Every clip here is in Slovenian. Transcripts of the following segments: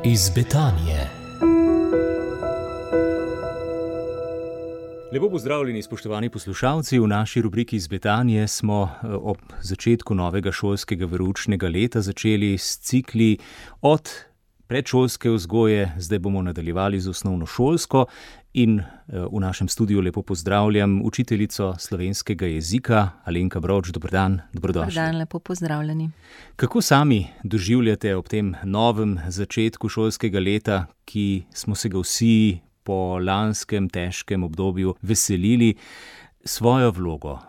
iz Betanije. Lepo pozdravljeni, spoštovani poslušalci. V naši rubriki iz Betanije smo ob začetku novega šolskega veroučnega leta začeli s cikli od predšolske vzgoje, zdaj bomo nadaljevali z osnovnošolsko in v našem studiu lepo pozdravljam učiteljico slovenskega jezika Alenka Brovč. Dober dan, dobrodošli. Dober dan, lepo pozdravljeni. Kako sami doživljate ob tem novem začetku šolskega leta, ki smo se ga vsi po lanskem težkem obdobju veselili, svojo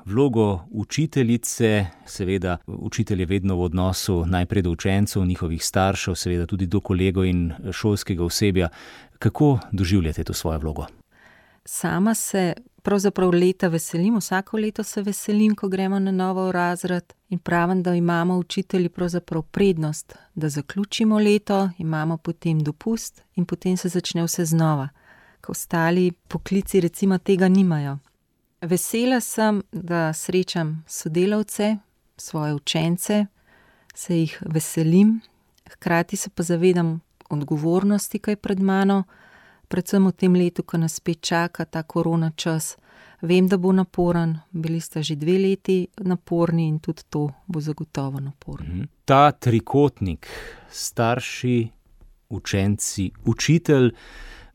vlogo učiteljice, seveda učitelj je vedno v odnosu najprej do učencev, njihovih staršev, seveda tudi do kolegov in šolskega osebja. Kako doživljate to svojo vlogo? Sama se pravzaprav leta veselim, vsako leto se veselim, ko gremo na novo v razred in pravim, da imamo učitelji pravzaprav prednost, da zaključimo leto, imamo potem dopust in potem se začne vse znova, ko ostali poklici recimo tega nimajo. Vesela sem, da srečam sodelavce, svoje učence, se jih veselim, hkrati se pa zavedam odgovornosti, ki je pred mano, predvsem v tem letu, ko nas spet čaka ta korona čas. Vem, da bo naporen, bili sta že 2 leti naporni in tudi to bo zagotovo naporno. Ta trikotnik, starši, učenci, učitelj,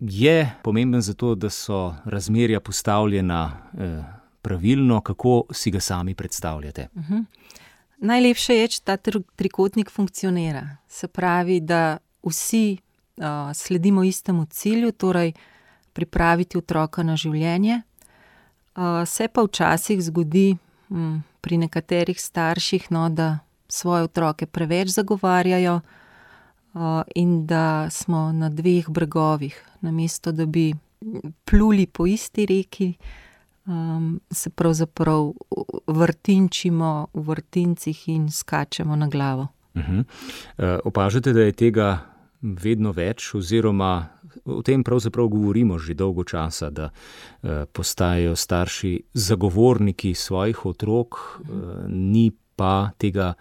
je pomemben zato, da so razmerja postavljena pravilno. Kako si ga sami predstavljate? Najlepše je, če ta trikotnik funkcionira. Se pravi, da vsi sledimo istemu cilju, torej pripraviti otroka na življenje. Se pa včasih zgodi pri nekaterih starših, da svoje otroke preveč zagovarjajo in da smo na 2 bregovih. Namesto da bi pluli po isti reki, se pravzaprav vrtinčimo v vrtincih in skačemo na glavo. Opažate, da je tega vedno več, oziroma o tem pravzaprav govorimo že dolgo časa, da postajajo starši zagovorniki svojih otrok, ni pa tega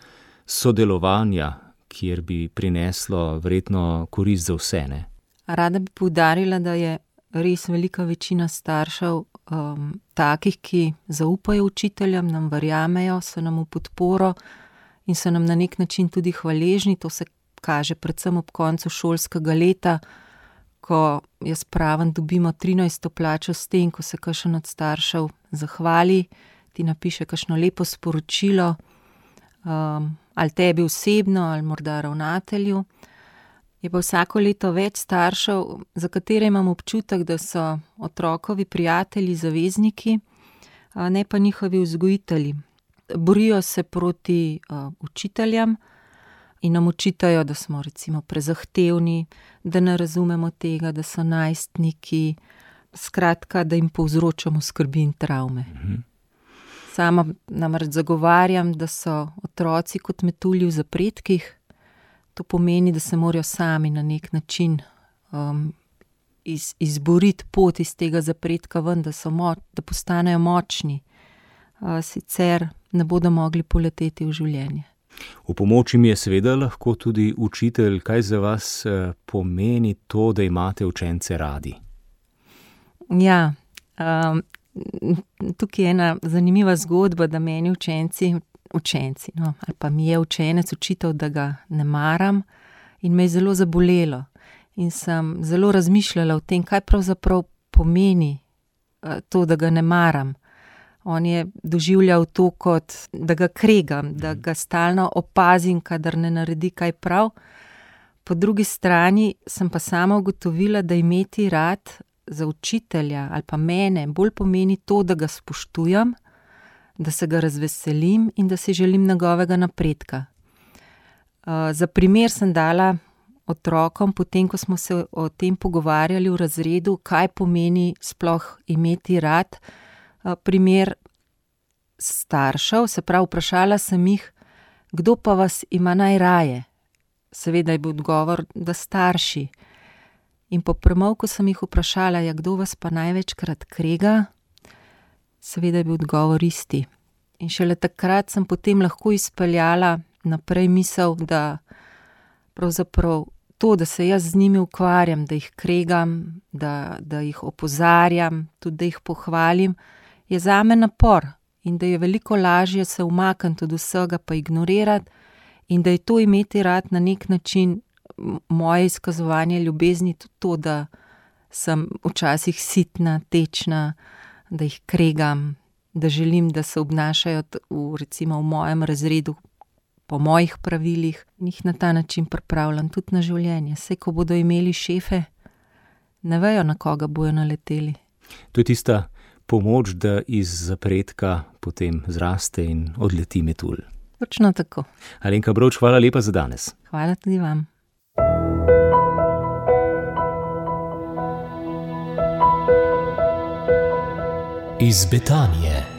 sodelovanja, kjer bi prineslo verjetno korist za vse, ne? Rada bi poudarila, da je res velika večina staršev takih, ki zaupajo učiteljem, nam verjamejo, so nam v podporo in so nam na nek način tudi hvaležni. To se kaže predvsem ob koncu šolskega leta, ko jaz pravim, dobimo 13. plačo s tem, ko se kakšen od staršev zahvali, ti napiše kakšno lepo sporočilo, ali tebi osebno, ali morda ravnatelju. Je pa vsako leto več staršev, za katere imam občutek, da so otrokovi prijatelji, zavezniki, ne pa njihovi vzgojitelji. Borijo se proti učiteljem in nam očitajo, da smo recimo prezahtevni, da ne razumemo tega, da so najstniki, skratka, da jim povzročamo skrbi in travme. Sama namreč zagovarjam, da so otroci kot metulji v zapredkih. To pomeni, da se morajo sami na nek način izboriti pot iz tega zapredka ven, da postanejo močni. Sicer ne bodo mogli poleteti v življenje. V pomoči mi je seveda lahko tudi učitelj. Kaj za vas pomeni to, da imate učence radi? Ja, tukaj je ena zanimiva zgodba, da meni učenci, ali pa mi je učenec učitelj, da ga ne maram, in me je zelo zabolelo. In sem zelo razmišljala o tem, kaj pravzaprav pomeni to, da ga ne maram. On je doživljal to kot, da ga kregam, da ga stalno opazim, kadar ne naredi kaj prav. Po drugi strani sem pa sama ugotovila, da imeti rad za učitelja ali pa mene bolj pomeni to, da ga spoštujem, da se ga razveselim in da si želim njegovega napredka. Za primer sem dala otrokom, potem ko smo se o tem pogovarjali v razredu, kaj pomeni sploh imeti rad, primer staršev, se pravi, vprašala sem jih, kdo pa vas ima najraje. Seveda je bil odgovor, da starši. In po premolku sem jih vprašala, kdo vas pa največkrat krega, seveda je bil odgovor isti. In šele takrat sem potem lahko izpeljala naprej misel, da pravzaprav to, da se jaz z njimi ukvarjam, da jih kregam, da jih opozarjam, tudi da jih pohvalim, je zame napor in da je veliko lažje se umakniti od vsega pa ignorirati in da je to imeti rad na nek način moje izkazovanje ljubezni tudi to, da sem včasih sitna, tečna, da jih kregam, da želim, da se obnašajo recimo v mojem razredu po mojih pravilih in jih na ta način pripravljam tudi na življenje. Saj, ko bodo imeli šefe, ne vejo, na koga bojo naleteli. To je tista pomoč, da iz zapredka potem zraste in odleti metulj. Točno tako. Alenka Brovč, hvala lepa za danes. Hvala tudi vam. Iz Betanije.